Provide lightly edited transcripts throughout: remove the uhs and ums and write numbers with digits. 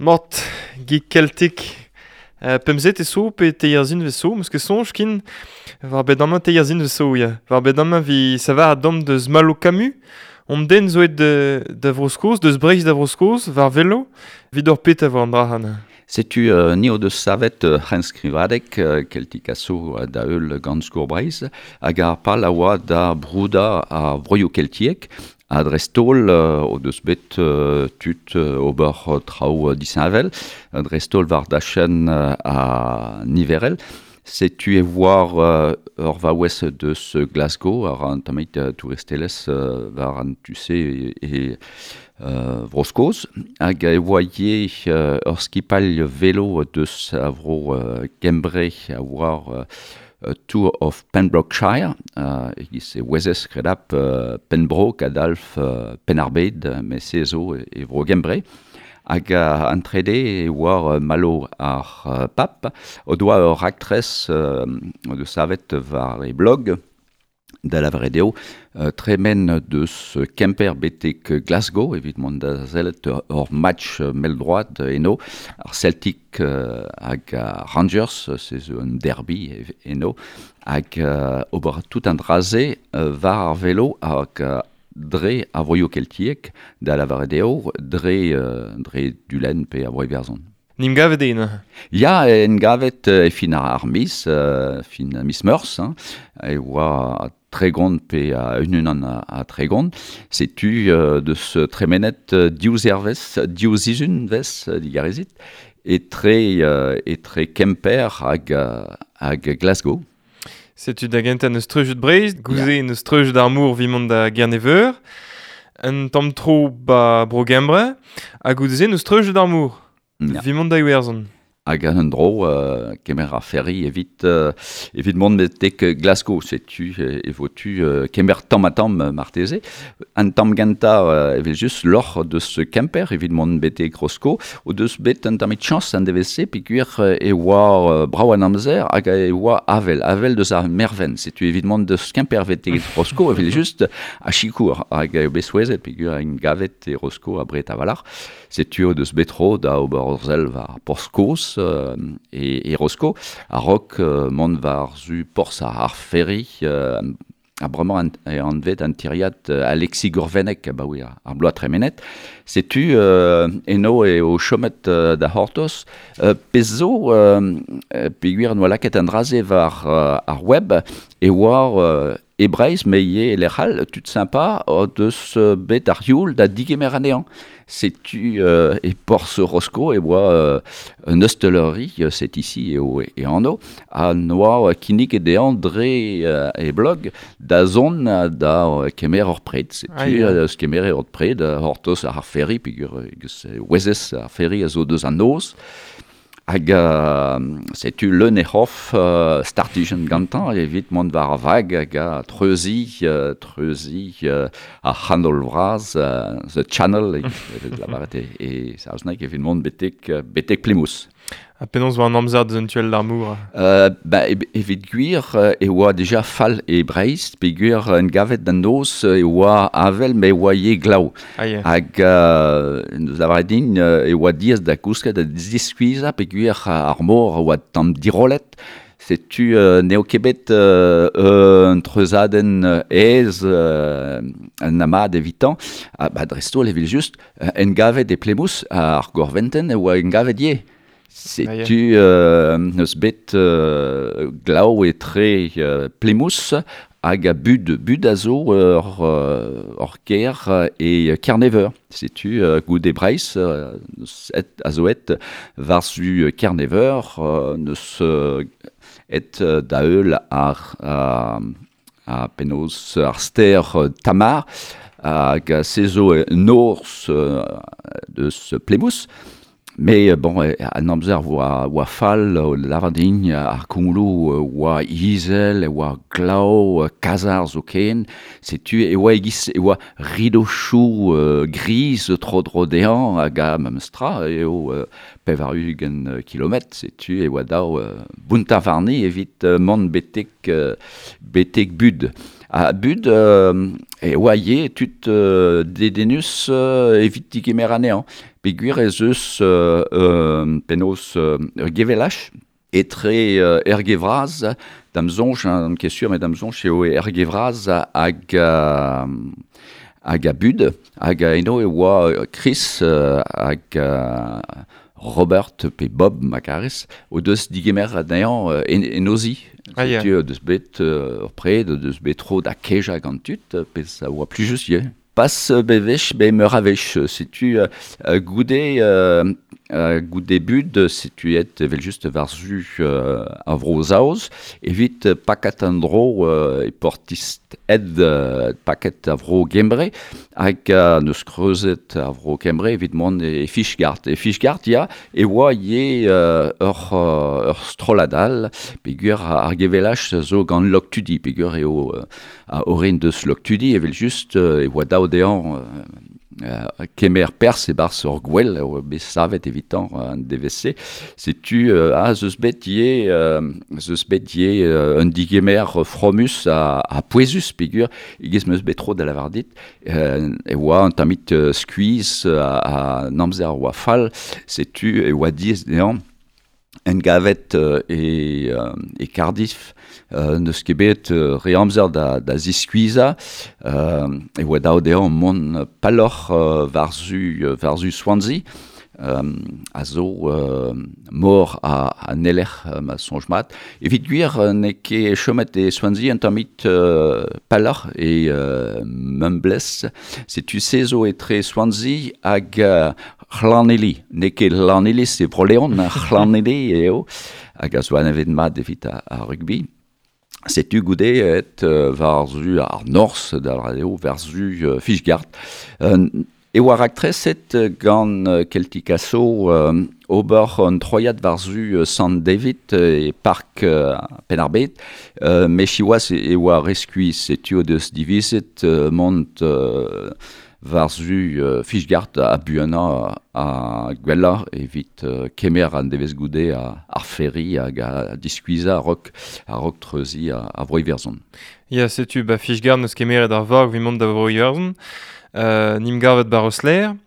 Mat, Geek Celtic. Pemzet e so pe teierzin ve so, meus ket soñj kin war bet amañ teierzin ve so, ya. War bet amañ vi savar a dom deus Malo Camus, on den zo et da Vro-Skos, deus Breizh da Vro-Skos, war velo, vid ur pet a vo an dra han. Setu ni o deus savet c'henskrivadeg Celtic a so da heul gant Skour Breizh, hag ar pal a oa da brouda ar vroioù keltiek, ha dreist-holl o deus bet tud ober traoù disheñvel, dreist-holl war dachenn ha niverel. Setu e voar ur vaouez deus Glasgow, ar an tammig touristelezh war an tu-se e Vro-Skos, hag e oa ivez ur skipailh velo deus a vro Gembre a oa Tour of Pembrokeshire, e-giz e ouezez kredap Pembroke a-dalf Penn-ar-Bed, met se zo e vro Gembre. Hag an trede e oa Malo ar Pap, o doa ur raktres o deus savet war e blog, da lavaret eo tremen deus Kemper betek Glasgow evit mont da sellet ur match mell-droad eno, ar Celtic hag ar Rangers, se zo un derby eno, hag ober tout an dra-se war ar velo hag dre ar vroioù keltiek, da lavaret eo dre Dulenn pe ar Vro-Iwerzhon. N'im gavet eo neuze? Ya, en gavet e fin ar miz, fin miz Meurzh, hein, e oa 30 pe a un-unan a 30. Setu deus tremenet div zervezh, div sizhunvezh digarezit, etre Kemper hag Glasgow. Setu da gentañ n'eus treujet Breizh, gouze n'eus treujet ar mor evit mont da Gerne-Veur, un tamm tro ba Bro-Gembre, ha goude-se n'eus treujet ar mor. Evit mont da Iwerzhon. Hag an dro kemer ar ferry evit mont betek Glasgow. Setu e vo tu kemer tamm-ha-tamm marteze. An tamm gentañ evel-just loc'h deus Kemper evit mont betek Rosko o deus bet un tammig chañs an devezh-se peogwir e oa brav an amzer hag e oa avel, avel deus ar mervent. Setu evit mont deus Kemper betek Rosko evel-just a sikour hag eo bet souezhet peogwir en gavet e Rosko abred a-walc'h. Setu o deus bet tro da ober ur sell war porzh kozh e Rosko, a-raok mont war-zu porzh ar ferry, ha bremañ eo anvet an tiriad Alexis Gourvennec abaoe ar bloaz tremenet. Setu eno eo chomet da c'hortoz. Pezh zo, peogwir n'oa lakaet an dra-se war ar web, e oa e Breizh, met ivez e lec'h all, tud sympa o deus bet ar youl da digemer anezhañ. Setu e porzh Rosko e oa un osteleri, c'est ici eo e anv, ha noa kinniget dezhañ dre e blog da zont da kemer ur pred. Setu eus kemer ur pred, c'hortoz ar ferry, peogwir ouezez ar ferry a zo deus an noz. Hag setu leun e c'horf startijenn gantañ evit mont war ar vag hag a treuziñ ar c'hanol vras, The Channel, evit lavaret e saozneg, evit mont betek Plymouth. Ha penaos 'oa an amzer deus un tuell d'ar mor? Ba, evit gwir e oa deja fall e Breizh, peogwir en gavet d'an noz e oa avel, met e oa ivez glav. Ah, ya. Hag neus lavaret din e oa diaes da gousket da ziskuizhañ peogwir ar mor a oa tamm dirollet. Setu n'eo ket bet un treuzadenn aes an amad evitañ. Ha ba, dreist-holl evel-just, en gavet e Plymouth, ar gorventenn e oa en gavet ivez. Setu n'eus bet glav etre Plymouth hag a Bud. Bud a zo ur kêr e Kerne-Veur. Setu goude Breizh a zo aet war-zu Kerne-Veur, n'eus aet da heul ar penaos ar stêr Tamar hag se zo norzh deus Plymouth. Mais bon, an amzer oa fall, lavar din, ar koumoulou oa izel, oa glav, kazar zoken. Setu e oa e-giz e oa ridochoù griz tro-dro dezhañ hag a memes tra eo 80 kilometr. Setu e oa dav bountañ warni evit mont betek Bud. A bud e oa ye tud dedenus evit digemer anezhañ. Peogwir ez eus penaos ur gevelaj etre Erge-Vras, da'm soñj, n'on ket sur, met da'm soñj eo Erge-Vras hag hag a bud, hag eno e oa Chris hag Robert pe Bob ma karez, o deus digemer anezhañ en o zi. Ah, ya. Setu o deus bet ur pred, o deus bet tro da kejañ gant tud, pezh a oa plijus ivez. Pas bewech, bet meur a wech. Setu goude goude bud, setu aet evel-just war-zu ar Vro-Saoz evit pakat an dro e Portishead, paket a Vro-Gembre, hag neus kreuzet ar Vro-Gembre evit mont e Fishguard. E Fishguard, ya, e oa ivez ur strollad all, peogwir ar gevelaj zo gant Loctudy, peogwir eo a orin deus Loctudy, evel-just e oa dav dezhañ kemer perzh e-barzh ur gwel a oa bet savet evitañ an devezh-se. Setu ez eus bet ivez ez eus bet ivez un digemer fromus ha pouezus peogwir e-giz 'm eus bet tro da lavar dit e oa un tammig skuizh an amzer a oa fall, setu e oa diaes dezhañ Engavet e Cardiff, n'eus ket bet re amzer da ziskuizhañ, e oa dav dezhañ mont pelloc'h war-zu Swansea, a zo mor a Nelec'h ma soñj mat. Evit gwir n'eo ket chomet e Swansea un tammig pelloc'h e Mumbles. Setu se zo etre Swansea hag Llanelli, n'eo ket Llanelli, e Bro-Leon, Llanelli eo, hag a zo anavezet mat evit ar rugby. Setu goude aet war-zu ar norzh, da lavaret eo, war-zu Fishguard. E oa raktreset gant Keltikaso ober un troiad war-zu Sant David e park Penn-ar-Bed, met siwazh e oa re skuizh, setu o deus divizet mont war-zu Fishguard ha buanañ ha gwellañ evit kemer an devezh goude ar ferry hag diskuizhañ a-raok treuziñ ar Vro-Iwerzhon. Ya, setu ba Fishguard n'eus kemeret ar vag evit mont da Vro-Iwerzhon. N'im gavet ba Rosslare.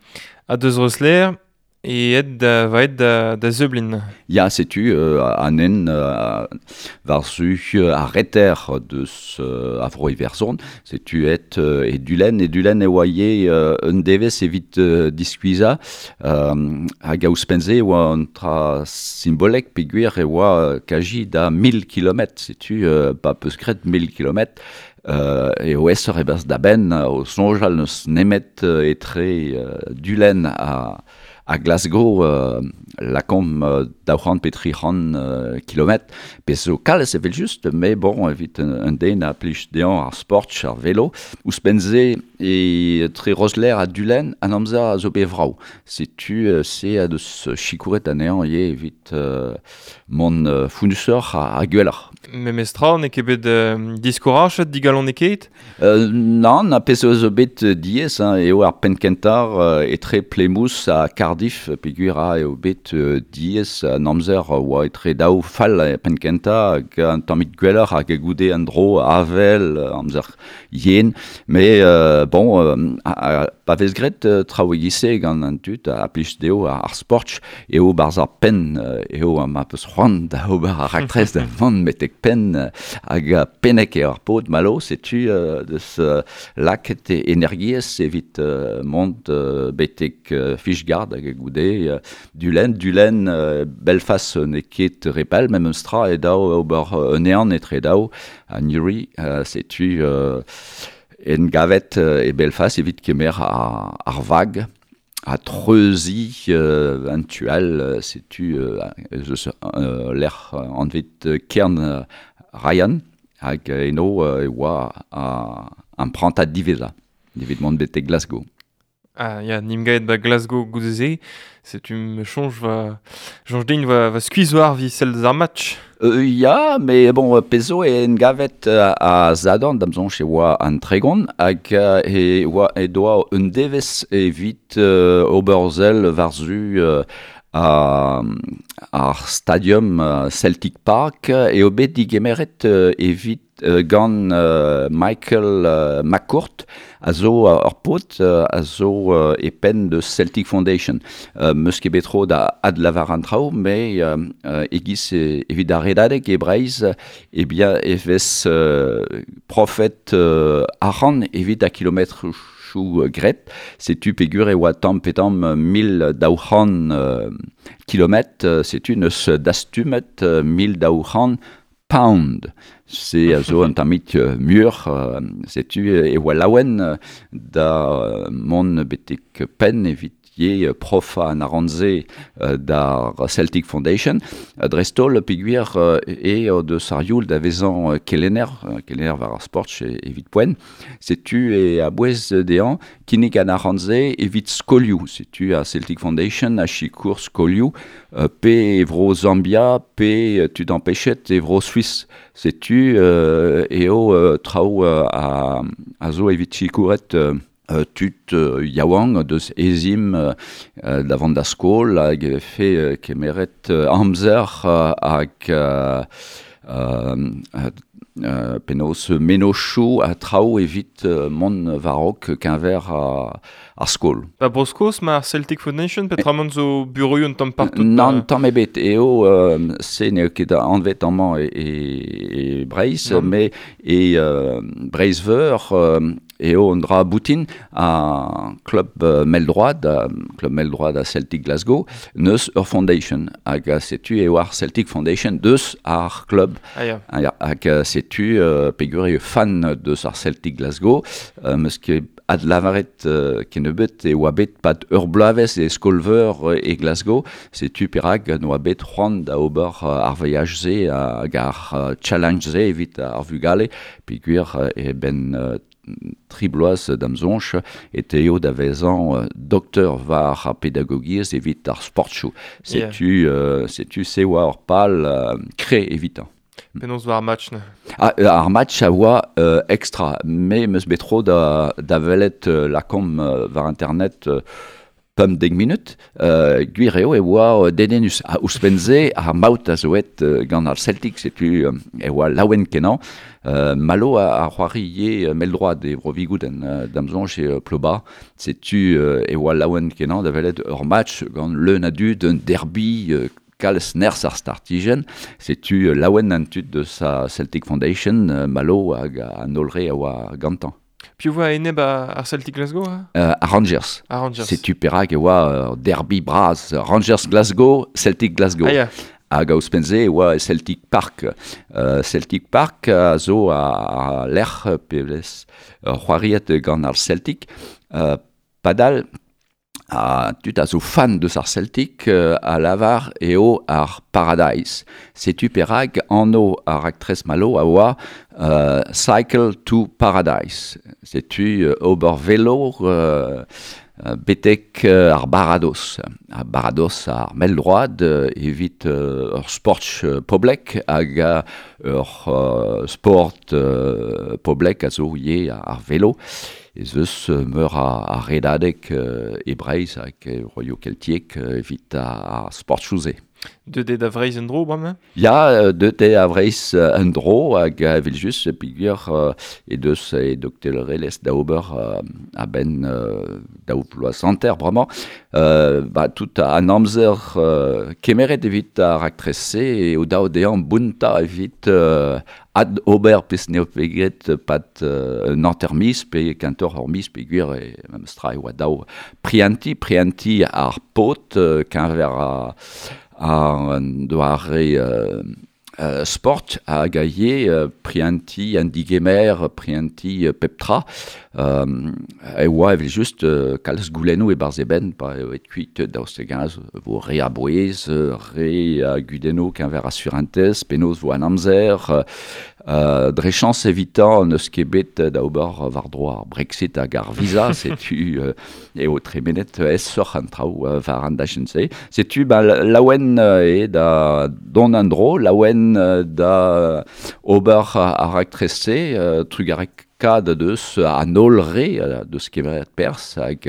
Ha deus Rosslare E aet da va aet da Zublin. Ya, setu an hent war-zu ar reter deus a Vro-Iwerzhon. Setu aet e Dulenn. E Dulenn e oa ivez un devezh evit diskuizhañ. Hag ouzhpenn-se e oa un tra simbolek peogwir e oa kazi da 1000 kilometr. Setu pa 'peus graet 1000 kilometr eo aesoc'h e-barzh da benn o soñjal n'eus nemet etre Dulenn ha Glasgow lakaomp 200 pe 300 kilometr. Pezh zo kalz evel-just, met bon, evit un den a plij dezhañ ar sport, ar velo. Ouzhpenn-se, etre Rosslare ha Dulenn, an amzer a zo bet vrav. Setu se a deus sikouret anezhañ ivez evit mont fonnusoc'h ha gwelloc'h. Memestra, n'eo ket bet diskourachet digalonekaet? Nann, ar pezh zo bet diaes hein, eo ar penn-kentañ etre Plymouth ha Cardiff peogwir eo bet diaes an amzer oa etre daou fall penn-kentañ hag un tammig gwelloc'h hag goude an dro avel, amzer yen. Mais bon, pa vez graet traoù e-giz-se gant an tud a plij dezho ar sport eo 'barzh ar penn eo ma 'peus c'hoant da ober ar raktres da vont betek penn hag pennek eo ar paotr Malo, setu deus lakaet energiezh evit mont betek Fishguard hag goude Dulenn. Dulenn, Belfast n'eo ket re pell, memes tra eo dav ober un ehan etre daou ha Newry, setu engavet e Belfast evit kemer ar vag ha treuziñ an tu all, setu ez eus lec'h anvet Cairn Ryan hag eno e oa an prantad diwezhañ evit mont betek Glasgow. Ah ya, n'im gaet ba Glasgow goude-se. Setu me soñj va soñj din va skuizh war evit sell deus ar match. Ya, met bon, pezh zo eo engavet a Sadorn, da'm soñj e oa an 30 hag e oa e doa un devezh evit ober sell war-zu. Ar stadium Celtic Park eo bet digemeret evit gant Michael McCourt a zo ur paotr a zo e penn deus Celtic Foundation. Meus ket bet tro da adlavar an traoù, met e-giz evit ar redadeg e Breizh, eh bien e vez profet arc'hant evit ar kilometroù graet. Setu peogwir e oa tamm pe tamm 1200 kilometr, setu neus dastumet 1200 pound. Se a zo un tammig muioc'h, setu e oa laouen da mont betek penn evit ivez profañ an arc'hant-se d'ar Celtic Foundation. Dreist-holl peogwir eo deus ar youl da vezañ kelenner, kelenner war ar sport evit poent. Setu e a-bouez dezhañ kinnig an arc'hant-se evit skolioù. Setu ar Celtic Foundation a sikour skolioù pe e vro Zambia pe tud ampechet e vro Suis. Setu eo traoù a zo evit sikouret tud yaouank deus ezhomm da vont da skol hag e vefe kemeret amzer hag penaos mennozhioù ha traoù evit mont war-raok keñver ar skol. Ba Bro-Skos ma ar Celtic Foundation, peotramant zo bureoù un tamm partout? Nann, tamm ebet. Eo se n'eo ket anvet amañ e Breizh, met e Breizh-Veur eo un dra boutin ar klub mell-droad, klub mell-droad a Celtic Glasgow, neus ur foundation. Hag setu eo ar Celtic Foundation deus ar klub. Ah ya. Hag setu peogwir eo fan deus ar Celtic Glasgow, meus ket adlavaret kennebeut e oa bet pad ur bloavezh e skol-veur e Glasgow, setu perak n'oa bet c'hoant da ober ar voyaj-se hag ar challenge-se evit ar vugale, peogwir e benn tri bloaz d'am soñj e teuio da vezañ doktor war ar pedagogiezh evit ar sportchoù. Setu, setu se oa ur pal kre evitañ. Penaos war ar match neuze? Ah, ar match a oa extra. Me 'm eus bet tro da welet lakaomp war internet 15 minut. Gwir eo e oa dedennus. Ha ouzhpenn-se, ar maout a zo aet gant ar Celtic, setu e oa laouen-kenañ. Malo a c'hoari ivez mell-droad e Bro-Vigoudenn, d'am soñj eo Ploba. Setu e oa laouen-kenañ da welet ur match gant leun a dud, un derby kalz nerzh ar startijenn. Setu laouen an tud deus ar Celtic Foundation, Malo hag an holl re a oa gantañ. Piv oa enep ar Celtic Glasgow? Ar Rangers. Ar Rangers. Setu perak e oa ur derby bras. Rangers Glasgow, Celtic Glasgow. Ah, ya. Hag ouzhpenn-se e oa Celtic Park. Celtic Park a zo ar lec'h pe vez c'hoariet gant ar Celtic. Padal ha tud a zo fan deus ar Celtic a lavar eo ar Paradise. Setu perak anv ar raktres Malo a oa Cycle to Paradise. Setu ober velo betek ar baradoz. Ar baradoz ar mell-droad evit ur sport poblek hag ur sport poblek a zo ivez ar velo. Ez eus meur a redadeg e Breizh hag e broioù keltiek evit ar sportchoù-se. Deuet eo da Vreizh en-dro bremañ? Ya, deuet eo da Vreizh en-dro hag evel-just peogwir he deus he doktorelezh da ober a-benn daou vloaz hanter bremañ. Ba tout an amzer kemeret evit ar raktres-se eo dav dezhañ bountañ evit ad-ober pezh n'eo ket graet pad un hanter miz pe kentoc'h ur miz peogwir e memes tra e oa dav prientiñ, prientiñ ar paotr keñver an doare sport hag ivez prientiñ an digemer, prientiñ pep tra. E oa evel-just kalz goulennoù e-barzh e benn pa eo aet kuit daoust hag-eñ vo re a bouez, re a gudennoù keñver ar surentez, penaos vo an amzer. Dre chañs evitañ n'eus ket bet da ober war-dro ar Brexit hag ar visa, setu eo tremenet aesoc'h an traoù war an dachenn-se. Setu ba laouen eo da dont en-dro, laouen da ober ar raktres-se, trugarekaat luskad deus an holl re deus kemeret perzh hag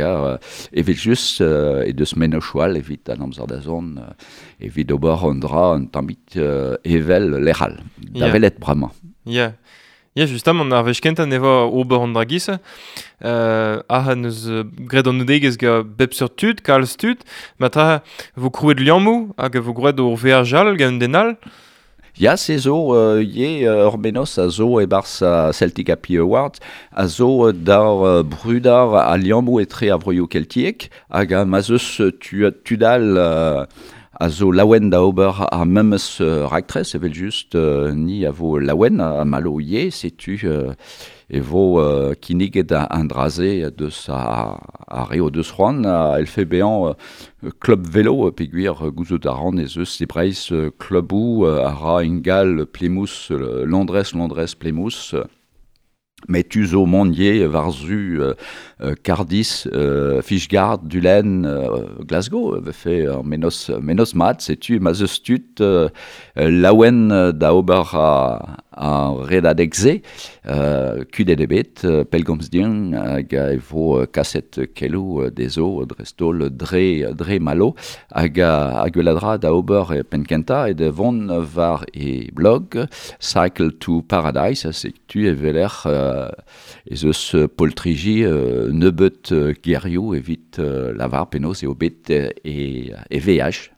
evel just e deus mennozhioù all evit an amzer da zont evit ober un dra un tammig evel lec'h all da welet bremañ. Ya. Ya, justamant, ar wech kentañ ne vo ober an dra giz. Aze neus graet an oudegezh gant bep seurt tud, kalz tud. Ma tra vo krouet liammoù hag vo graet ur veaj all gant un den all. Ya, se zo ivez ur mennozh a zo e-barzh Celtic Happy Awards, a zo da brudañ al liammoù etre ar vroioù keltiek hag ma 'z eus tud all a zo laouen da ober ar memes raktres evel-just ni a vo laouen ha Malo ivez, setu e vo kinniget an dra-se deus ar re o deus c'hoant a c'hellfe bezañ klub velo peogwir gouzout a ran ez eus e Breizh kluboù a ra ingal Plymouth Londrez Londrez Plymouth met tu zo mont ivez war-zu Cardiff Fishguard Dulenn Glasgow e vefe ur mennozh mennozh mat setu ma 'z eus tud laouen da ober ar redadeg-se kudenn ebet pellgomz din hag e vo kaset keloù dezho dreist-holl dre dre Malo hag ar gwellañ dra da ober e penn-kentañ eo da vont war e blog Cycle to Paradise setu e weler ez eus poltriji nebeut gerioù evit lavar penaos eo bet e veaj.